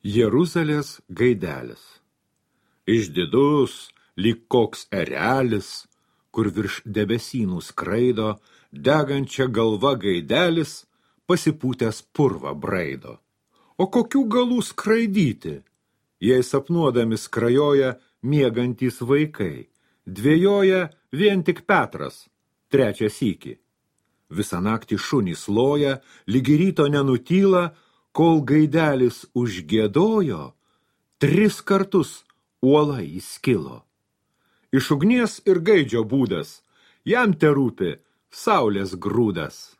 Jeruzalės gaidelis. Išdidus, lyg koks erelis, kur virš debesynų skraido, degančia galva gaidelis, pasipūtęs purvą braido. O kokių galų skraidyti, jei sapnuodami skrajoja miegantys vaikai, dvejoja vien tik Petras, trečią sykį. Visą naktį šunys loja, lygi ryto nenutyla, kol gaidelis užgiedojo, 3 kartus uola įskilo. Iš ugnies ir gaidžio būdas, jam terūpi saulės grūdas.